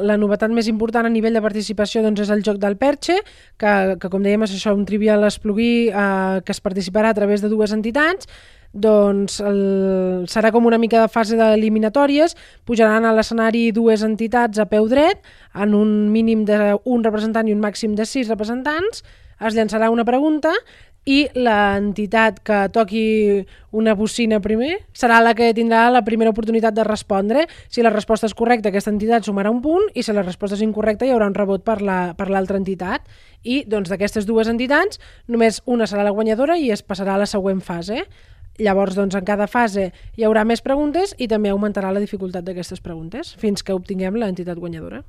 La novetat més important a nivell de participació doncs, és el joc del Perche, que com dèiem és això, un trivial esplugui que es participarà a través de 2 entitats. Doncs serà com una mica de fase d'eliminatòries, pujaran a l'escenari 2 entitats a peu dret, en un mínim d'un representant i un màxim de 6 representants, es llançarà una pregunta i l'entitat que toqui una bocina primer serà la que tindrà la primera oportunitat de respondre. Si la resposta és correcta, aquesta entitat sumarà un punt, i si la resposta és incorrecta hi haurà un rebot per l'altra entitat. I doncs, d'aquestes 2 entitats només una serà la guanyadora i es passarà a la següent fase. Llavors, doncs, en cada fase hi haurà més preguntes i també augmentarà la dificultat d'aquestes preguntes fins que obtinguem l'entitat guanyadora.